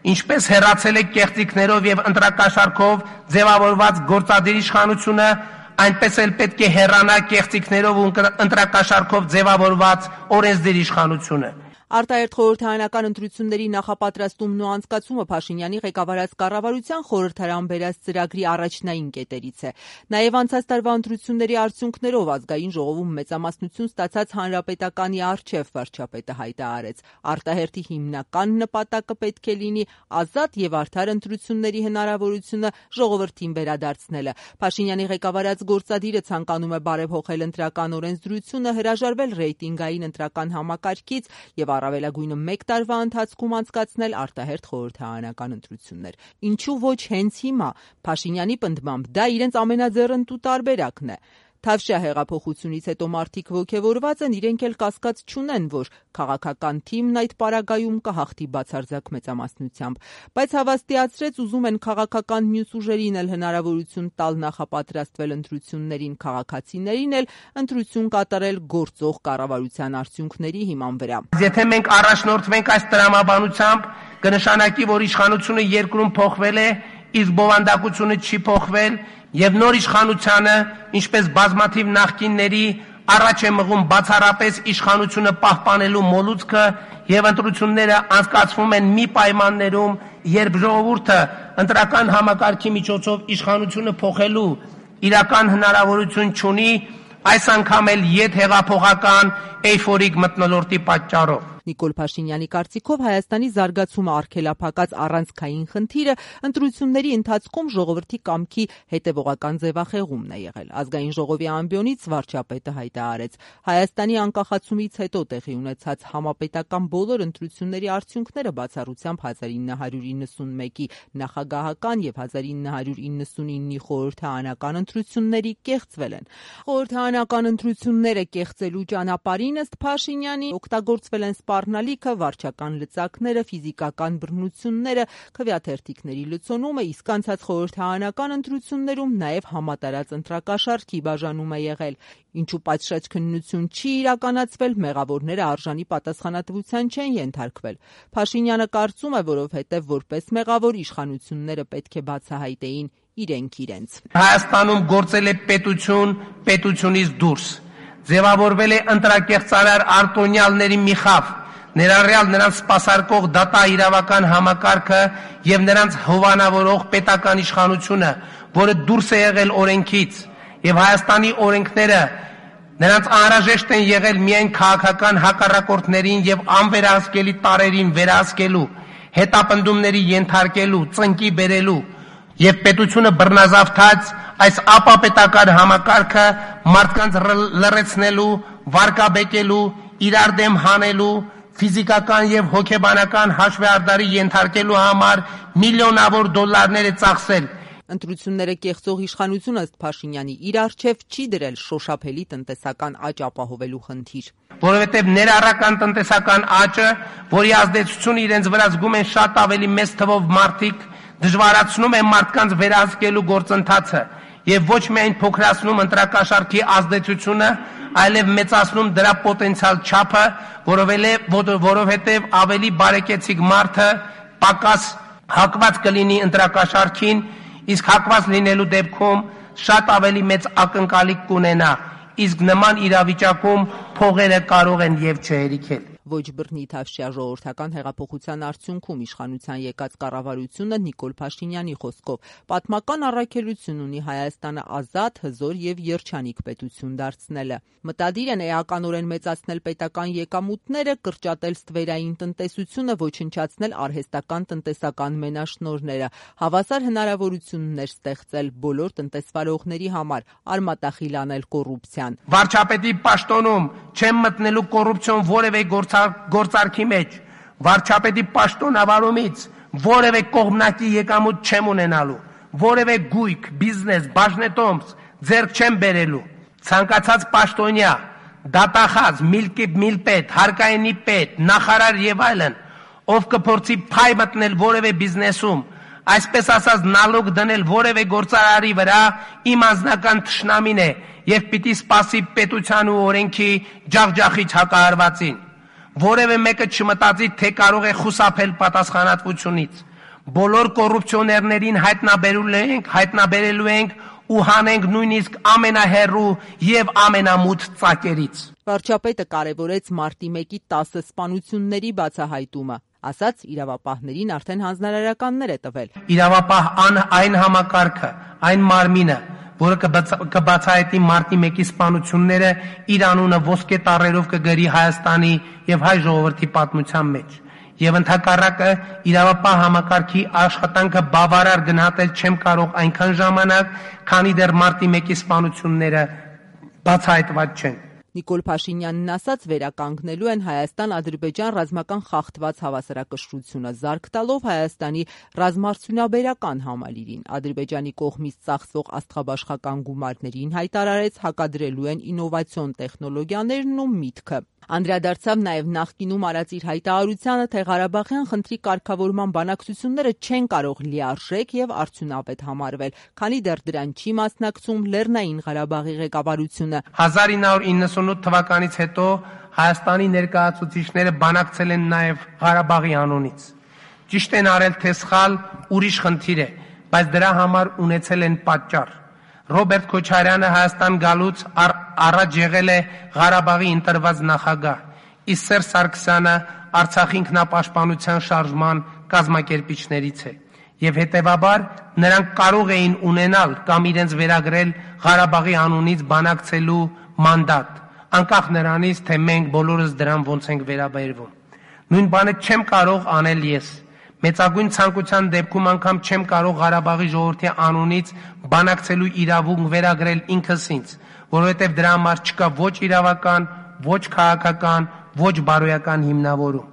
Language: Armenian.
Ինչպես հեռացել է կեղծիքներով եւ ընտրակաշառքով ձևավորված գործադիր իշխանությունը, այնպես էլ պետք է հեռանա կեղծիքներով ու ընտրակաշառքով ձևավորված օրենսդիր իշխանությունը։ Արտահերթ խորհրդարանական ընտրությունների նախապատրաստումն ու անցկացումը Փաշինյանի ղեկավարած կառավարության խորհրդարան բերած ծրագրի առաջնային կետերից է։ Նաև անցած տարվա ընտրությունների արդյունքներով ազգային ժողովում մեծամասնություն ստացած հանրապետականի առջև վարչապետը հայտարարեց. արտահերթի հիմնական նպատակը պետք է լինի ազատ եւ արդար ընտրությունների հնարավորությունը ժողովրդին վերադարձնելը։ Փաշինյանի ղեկավարած գործադիրը ցանկանում է բարեփոխել ընտրական օրենսդրությունը, հրաժարվել ռեյտինգային ընտրական համակարգից եւ առավելագույնը 1 տարվա ընթացքում անցկացնել արտահերթ խորհրդարանական ընտրություններ։ Ինչու ոչ հենց հիմա։ Փաշինյանի պնդմամբ դա իրենց ամենաձեռնտու տարբերակն է։ Թավշյա հեղափոխությունից հետո մարդիկ ոգևորված են, իրենք էլ կասկած չունեն, որ քաղաքական թիմն այդ պարագայում կհաղթի բացարձակ մեծամասնությամբ, բայց հավաստիացրեց ուզում են քաղաքական մյուս ուժերին էլ հնարավորություն տալ նախապատրաստվել ընտրություններին, քաղաքացիներին էլ ընտրություն կատարել գործող կառավարության արդյունքների հիման վրա։ Եթե մենք առաջնորդվենք այս տրամաբանությամբ, կնշանակի, որ իշխանությունը երկրում փոխվել է, իսկ բովանդակությունը չի փոխվել, եւ նոր իշխանությանը, ինչպես բազմաթիվ նախկինների, առաջ է մղում բացառապես իշխանությունը պահպանելու մոլուցքը եւ ընտրությունները անցկացվում են մի պայմաններում, երբ ժողովուրդը ընտրական համակարգի միջոցով իշխանությունը փոխելու իրական հնարավորություն չունի, այս անգամ էլ ետ հեղափոխական էյֆորիկ մթնոլորտի պատճառով։ Նիկոլ Փաշինյանի կարծիքով Հայաստանի զարգացումը արգելափակած առանցքային խնդիրը ընտրությունների ընթացքում ժողովրդի կամքի հետևողական ձևախեղումն է եղել։ Ազգային ժողովի ամբիոնից վարչապետը հայտարարեց. Հայաստանի անկախացումից հետո տեղի ունեցած համապետական բոլոր ընտրությունների արդյունքները բացառությամբ 1991-ի նախագահական եւ 1999-ի խորհրդարանական ընտրությունների կեղծվել են։ Խորհրդարանական ընտրությունները կեղծելու ճանապարհին ըստ Փաշինյանի օգտագործվել են սպառնալիքը, վարչական լծակները, ֆիզիկական բռնությունները, քվեաթերթիկների լցոնումը, իսկ անցած խորհրդարանական ընտրություններում նաև համատարած ընտրակաշառքի բաժանում է եղել։ Ինչու պատշաճ քննություն չի իրականացվել, մեղավորները արժանի պատասխանատվության չեն ենթարկվել։ Փաշինյանը կարծում է, որովհետև որպես մեղավոր իշխանությունները պետք է բացահայտեին իրենք իրենց։ Հայաստանում գործել է պետություն, պետությունից դուրս։ Ձևավորվել է ընտրակեղծարար արտոնյալների մի խավ, ներառյալ նրանց սպասարկող դատա իրավական համակարգը եւ նրանց հովանավորող պետական իշխանությունը, որը դուրս է եղել օրենքից, եւ Հայաստանի օրենքները նրանց անհրաժեշտ են եղել միայն քաղաքական հակառակորդներին եւ անվերահսկելի տարերին վերահսկելու, հետապնդումների ենթարկելու, ծնկի բերելու եւ պետությունը բռնազավթած այս ապապետական համակարգը մարդկանց լռեցնելու, վարկաբեկելու, իրար դեմ հանելու, ֆիզիկական եւ հոգեբանական հաշվեհարդարի ենթարկելու համար միլիոնավոր դոլարներ է ծախսել։ Ընտրությունները կեղծող իշխանությունը ըստ Փաշինյանի իր առջև չի դրել շոշափելի տնտեսական աճ ապահովելու խնդիր։ Որովհետև ներառական տնտեսական աճը, որի ազդեցությունը իրենց վրա զգում են շատ ավելի մեծ թվով մարդիկ, դժվարացնում է մարդկանց վերահսկելու գործընթացը եւ ոչ միայն փոքրացնում ընտրակաշառքի ազդեցությունը, այլև մեծացնում դրա պոտենցիալ չափը, որովհետև ավելի բարեկեցիկ մարդը պակաս հակված կլինի ընտրակաշառքին, իսկ հակված լինելու դեպքում շատ ավելի մեծ ակնկալիք կունենա, իսկ նման իրավիճակում փողերը կարող են եւ չհերիքել։ Ոչ բռնի Թավշյա ժողովրդական հեղափոխության արդյունքում իշխանության եկած կառավարությունը Նիկոլ Փաշինյանի խոսքով պատմական առաքելություն ունի Հայաստանը ազատ, հզոր եւ երջանիկ պետություն դարձնելը։ Մտադիր են էականորեն մեծացնել պետական եկամուտները, կրճատել ստվերային տնտեսությունը, ոչնչացնել արհեստական տնտեսական մենաշնորհները, հավասար հնարավորություններ ստեղծել բոլոր տնտեսվարողների համար, արմատախիլ անել կոռուպցիան։ Վարչապետի պաշտոնում չեմ մտնելու կոռուպցիոն որևէ գործարքի մեջ, վարչապետի պաշտոնավարումից որևէ կողմնակի եկամուտ չեմ ունենալու, որևէ գույք, բիզնես, բաժնետոմս ձեռք չեմ բերելու, ցանկացած պաշտոնյա, դատախազ, միլպետ, հարկայինի պետ, նախարար եւ այլն, ով կփորձի փայ մտնել որևէ բիզնեսում, այսպես ասած նալոգ դնել որևէ գործարարի վրա, իմ անձնական թշնամին է եւ պիտի սպասի պետության ու օրենքի ջախջախիչ հակահարվածին։ Որևէ մեկը չմտածի, թե կարող է խուսափել պատասխանատվությունից։ Բոլոր կոռուպցիոներներին հայտնաբերելու ենք ու հանենք նույնիսկ ամենահեռու եւ ամենամութ ծակերից։ Վարչապետը կարևորեց մարտի 1-ի 10 սպանությունների բացահայտումը, ասաց իրավապահներին արդեն հանձնարարականներ է տվել։ Իրավապահ այն համակարգը, այն մարմինը, որը կբացահայտի մարտի 1-ի սպանությունները, իր անունը ոսկե տառերով կգրի Հայաստանի եւ հայ ժողովրդի պատմության մեջ։ Եվ ընդհակառակը իրավապահ համակարգի աշխատանքը բավարար գնահատել չեմ կարող այնքան ժամանակ, քանի դեռ մարտի 1-ի սպանությունները բացահայտված չեն։ Նիկոլ Փաշինյանն ասաց, վերականգնելու են Հայաստան-Ադրբեջան ռազմական խախտված հավասարակշռությունը, զարկ տալով Հայաստանի ռազմարդյունաբերական համալիրին։ Ադրբեջանի կողմից ծախսվող աստղաբաշխական գումարներին հայտարարեց, հակադրելու են ինովացիոն տեխնոլոգիաներն ու միտքը։ Անդրադարձավ նաև նախկինում արած իր հայտարարությանը, թե Ղարաբաղյան խնդրի կարգավորման բանակցությունները չեն կարող լիարժեք եւ արդյունավետ համարվել, քանի դեռ դրան չի մասնակցում Լեռնային Ղարաբաղի ղեկավարությունը։ 1998 թվականից հետո Հայաստանի ներկայացուցիչները բանակցել են նաև Ղարաբաղի անունից։ Ճիշտ են արել, թե սխալ ուրիշ խնդիր է, բայց դրա համար ունեցել են պատճառ։ Ռոբերտ Քոչարյանը Հայաստան գալուց առաջ եղել է Ղարաբաղի ընտրված նախագահ, իսկ Սերժ Սարգսյանը Արցախի ինքնապաշտպանության շարժման կազմակերպիչներից է, եւ հետեւաբար նրանք կարող էին ունենալ կամ իրենց վերագրել Ղարաբաղի անունից բանակցելու մանդատ, անկախ նրանից, թե մենք բոլորս դրան ոնց ենք վերաբերվում։ Նույն բանը չեմ կարող անել ես։ Մեծագույն ցանկության դեպքում անգամ չեմ կարող Ղարաբաղի ժողովրդի անունից բանակցելու իրավունք վերագրել ինքս ինձ, որովհետև դրա համար չկա ոչ իրավական, ոչ քաղաքական, ոչ բարոյական հիմնավորում։